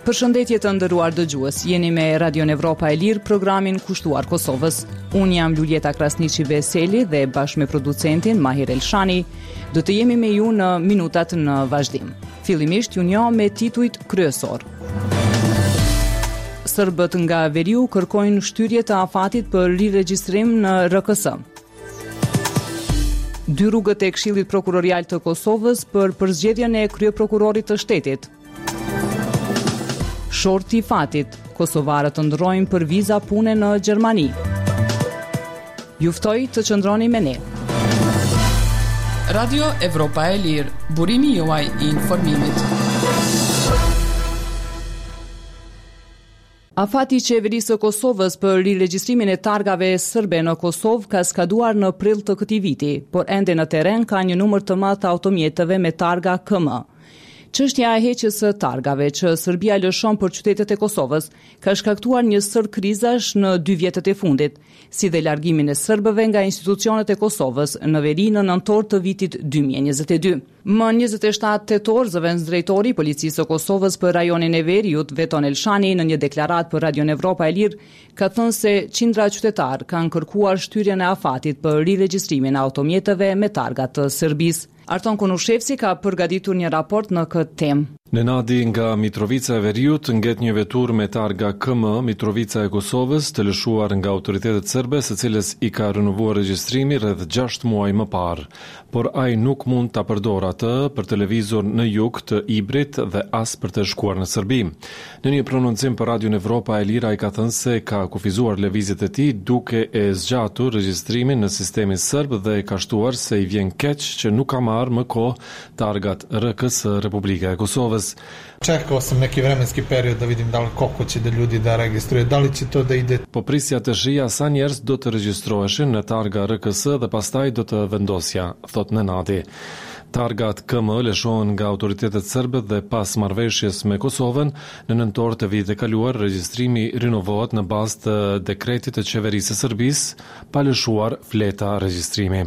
Përshëndetje të nderuar dëgjues, jeni me Radion Evropa e Lirë, programin kushtuar Kosovës. Unë jam Luljeta Krasniqi Veseli dhe bashkë me producentin Mahir Elshani, do të jemi me ju në minutat në vazhdim. Fillimisht ju njoh me titujt kryesorë. Serbët nga veriu kërkojnë shtyrje të afatit për riregjistrim në RKS. Dy rrugët e Këshillit Prokurorial të Kosovës për përzgjedhjen e kryeprokurorit të shtetit. Shorti i fatit, kosovarët ëndërrojnë për viza pune në Gjermani. Ju ftoj të qëndroni me ne. Radio Evropa e Lirë, burimi juaj i informimit. Afati i Qeverisë së Kosovës për riregjistrimin e targave sërbe në Kosovë ka skaduar në prill të këtij viti, por ende në terren ka një numër të madh të automjeteve me targa KM. Çështja e heqjes së targave që Serbia lëshon për qytetet e Kosovës ka shkaktuar një sërë krizash në dy vjetët e fundit, si dhe largimin e serbëve nga institucionet e Kosovës në veri në nëntor të vitit 2022. Më 27 tetor, zëvendësdrejtori i Policisë së Kosovës për rajonin e Veriut, Veton Elshani, në një deklaratë për Radion Evropa e Lirë, ka thënë se qindra qytetarë kanë kërkuar shtyrjen e afatit për riregjistrimin e automjeteve me targa të Serbisë. Arton Konushevci ka përgatitur një raport në këtë temë. Nenadi nga Mitrovica e Veriut nget një veturë me targa KM, Mitrovica e Kosovës, të lëshuar nga autoritetet serbe, së cilës i ka rinovuar regjistrimi rreth 6 muaj më parë. Por ai nuk mund ta përdorë atë për të lëvizur në jug të Ibrit dhe as për të shkuar në Serbi. Në një prononcim për Radion Evropa e Lirë ai ka thënë se ka kufizuar lëvizjet e tij duke e zgjatur regjistrimin në sistemin serb dhe ka shtuar se i vjen keq që nuk ka marrë më kohë targat RKS Republika e Kosovës. Čekao sam neki vremenski period da vidim da li koliko će da ljudi da registruje, da li će to da ide. Po prisja të shihja sa njerëz do të regjistroheshin në targa RKS dhe pastaj do të vendosja, thotë Nenadi. Targat KM lëshohen nga autoritetet serbe dhe pas marrëveshjes me Kosovën, në nëntor të vitit të kaluar, regjistrimi rinovohet në bazë të dekretit të Qeverisë së Serbisë, pa lëshuar fleta regjistrimi.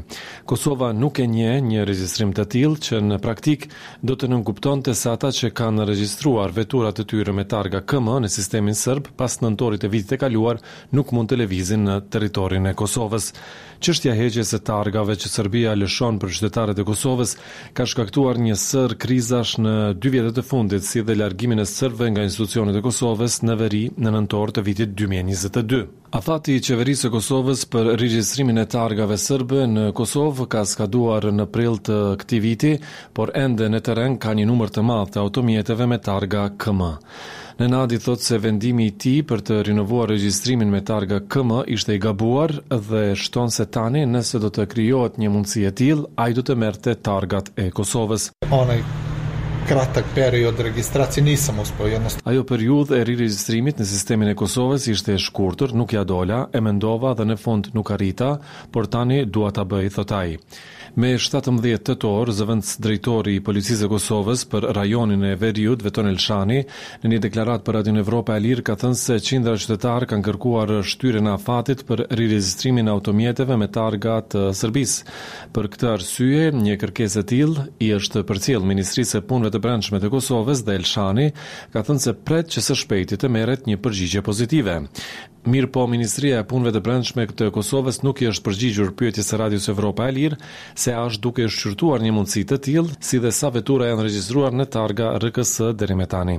Kosova nuk e njeh një regjistrim të tillë që në praktikë do të nënkuptonte se ata që kanë regjistruar veturat e tyre me targa KM në sistemin serb pas nëntorit të vitit të kaluar nuk mund të lëvizin në territorin e Kosovës. Çështja e heqjes së targave që Serbia lëshon për qytetarët e Kosovës ka shkaktuar një sërë krizash në dy vjetët e fundit, si dhe largimin e serbëve nga institucionet e Kosovës në veri në nëntor të vitit 2022. Afati i Qeverisë së Kosovës për regjistrimin e targave serbe në Kosovë ka skaduar në prill të këtij viti, por ende në terren ka një numër të madh të automjeteve me targa KM. Nenadi thotë se vendimi i tij për të rinovuar regjistrimin me targa KM ishte i gabuar dhe shton se tani nëse do të krijohet një mundësi e tillë, ai do të merrte targat e Kosovës. Onaj kratak period registracije nisam uspeo jednostavno. Ajo periudhë e riregjistrimit në sistemin e Kosovës ishte e shkurtër, nuk ia dola, e mendova dhe në fund nuk arrita, por tani dua ta bëj, thotë ai. Me 17 tetor, zëvendësdrejtori i Policisë së Kosovës për rajonin e Veriut, Veton Elshani, në një deklaratë për Radion Evropa e Lirë ka thënë se qindra qytetarë kanë kërkuar shtyrjen e afatit për riregjistrimin e automjeteve me targa të Serbisë. Për këtë arsye, një kërkesë e tillë i është përcjellë Ministrisë së Punëve të Brendshme të Kosovës dhe Elshani ka thënë se pret që së shpejti të merret një përgjigje pozitive. Mirëpo, Ministria e Punëve të Brendshme të Kosovës nuk i është përgjigjur pyetjes së Radios Evropa e Lirë se a është duke shqyrtuar një mundësi të tillë, si dhe sa vetura janë regjistruar në targa RKS deri me tani.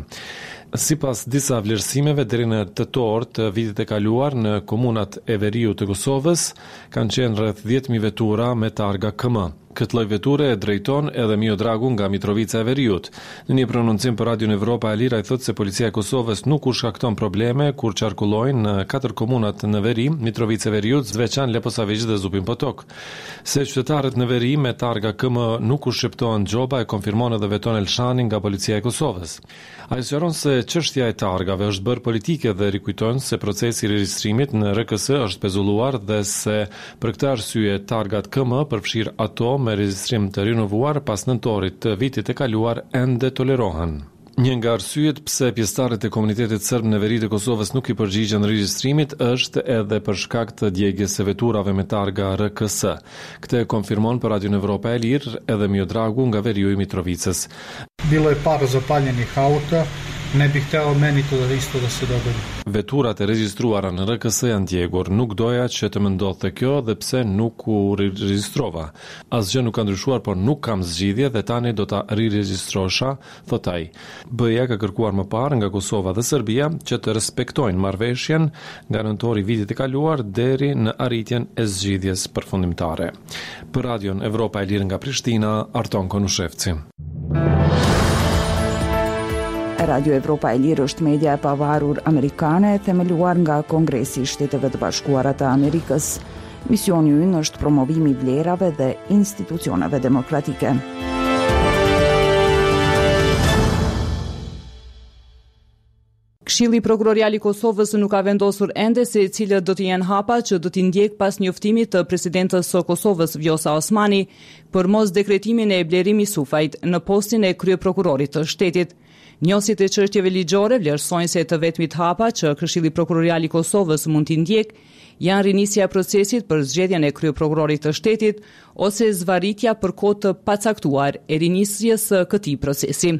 Sipas disa vlerësimeve, deri në tetor të vitit të kaluar në komunat e veriut të Kosovës kanë qenë rreth 10.000 vetura me targa KM. Këtë lloj veture e drejton edhe Miodragu nga Mitrovica e Veriut. Në një prononcim për Radion Evropa e Lirë ai thotë se Policia e Kosovës nuk u shkakton probleme kur qarkullojnë në katër komunat në veri, Mitrovicë e Veriut, Zveçan, Leposaviq dhe Zubin Potok. Se qytetarët në veri me targa KM nuk u shqiptohen gjoba e konfirmon edhe Veton Elshani nga Policia e Kosovës. Ai sqaron se çështja e targave është bërë politike dhe rikujton se procesi i regjistrimit në RKS është pezulluar dhe se për këtë arsye targat KM, përfshirë ato me regjistrim të rinovuar pas nëntorit të vitit të kaluar, ende tolerohen. Një nga arsyet pse pjesëtarët e komunitetit serb në veri të Kosovës nuk i përgjigjen regjistrimit është edhe për shkak të djegies së veturave me targa RKS. Këtë e konfirmon për Radion Evropa e Lirë edhe Miodragu nga veriu i Mitrovicës. Bilo je par zapaljenih auta, ne bih hteo meni to da isto da se dogodi. Veturat e regjistruara në RKS janë djegur. Nuk doja që të më ndodhte kjo dhe pse nuk u riregjistrova. Asgjë nuk ka ndryshuar, por nuk kam zgjidhje dhe tani do ta riregjistrosha, thotë ai. BE-ja ka kërkuar më parë nga Kosova dhe Serbia që të respektojnë marrëveshjen nga nëntori i vitit të kaluar deri në arritjen e zgjidhjes përfundimtare. Për Radion Evropa e Lirë nga Prishtina, Arton Konushevci. Radio Evropa e Lirë është media e pavarur amerikane e themeluar nga Kongresi i Shteteve të Bashkuara të Amerikës. Misioni ynë është promovimi i vlerave dhe institucioneve demokratike. Këshilli Prokurorial i Kosovës nuk ka vendosur ende se cilët do të jenë hapat që do t'i ndjekë pas njoftimit të presidentes së Kosovës, Vjosa Osmani, për mosdekretimin e Blerim Isufajt në postin e kryeprokurorit të shtetit. Njohësit e çështjeve ligjore vlerësojnë se të vetmit hapa që Këshilli Prokurorial i Kosovës mund t'i ndjekë janë rinisja e procesit për zgjedhjen e kryeprokurorit të shtetit ose zvarritja për kohë të pacaktuar e rinisjes së këtij procesi.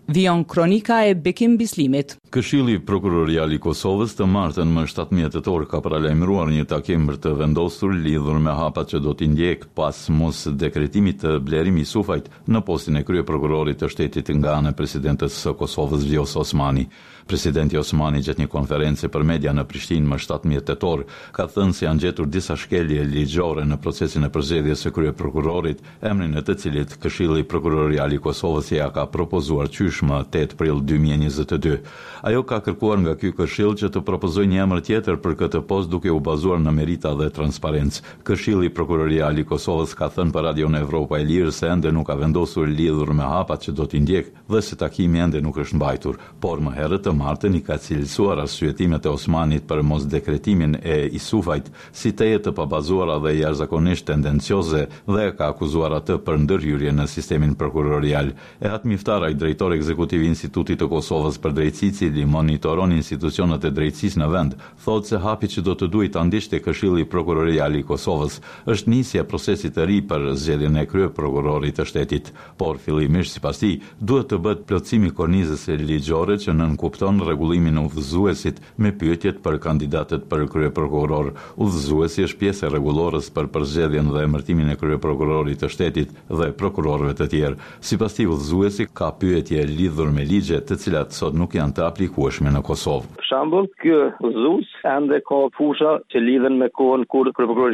Vijon kronika e Bekim Bislimit. Këshilli Prokurorial i Kosovës të martën më 17 tetor ka paralajmëruar një takim për të vendosur lidhur me hapat që do t'i ndjekë pas mosdekretimit të Blerim Isufajt në postin e kryeprokurorit të shtetit nga ana e presidentes së Kosovës Vjosa Osmani. Presidentja Osmani gjatë një konference për media në Prishtinë më 17 tetor ka thënë se janë gjetur disa shkelje ligjore në procesin e përzgjedhjes së kryeprokurorit, emrin e të cilit Këshilli Prokurorial i Kosovës ia ka propozuar qysh më 8 prill 2022. Ajo ka kërkuar nga ky këshill që të propozojë një emër tjetër për këtë post duke u bazuar në merita dhe transparencë. Këshilli Prokurorial i Kosovës ka thënë për Radion Evropa e Lirë se ende nuk ka vendosur lidhur me hapat që do t'i ndjekë dhe se takimi ende nuk është mbajtur, por më herët të martën i ka cilësuar arsyetimet e Osmanit për mosdekretimin e Isufajt si tejet të pabazuara dhe jashtëzakonisht tendencioze dhe e ka akuzuar atë për ndërhyrje në sistemin prokurorial. Ehat Miftaraj, drejtor ekzekutiv i Institutit të Kosovës për Drejtësi, i cili monitoron institucionet e drejtësisë në vend, thotë se hapi që do të duhej ta ndiqte Këshilli Prokurorial i Kosovës është nisja e procesit të ri për zgjedhjen e kryeprokurorit të shtetit. Por fillimisht, sipas tij, duhet të bëhet plotësimi i kornizës ligjore që nënkupton rregullimin e udhëzuesit me pyetjet për kandidatët për kryeprokuror. Udhëzuesi është pjesë e rregullores për përzgjedhjen dhe emërtimin e kryeprokurorit të shtetit dhe prokurorëve të tjerë. Sipas tij, udhëzuesi ka pyetje lidhur me ligje, të cilat sot nuk janë të aplikueshme në Kosovë. Për shembull, ky udhëzues ende ka fusha që lidhen me kohën kur kryeprokurori.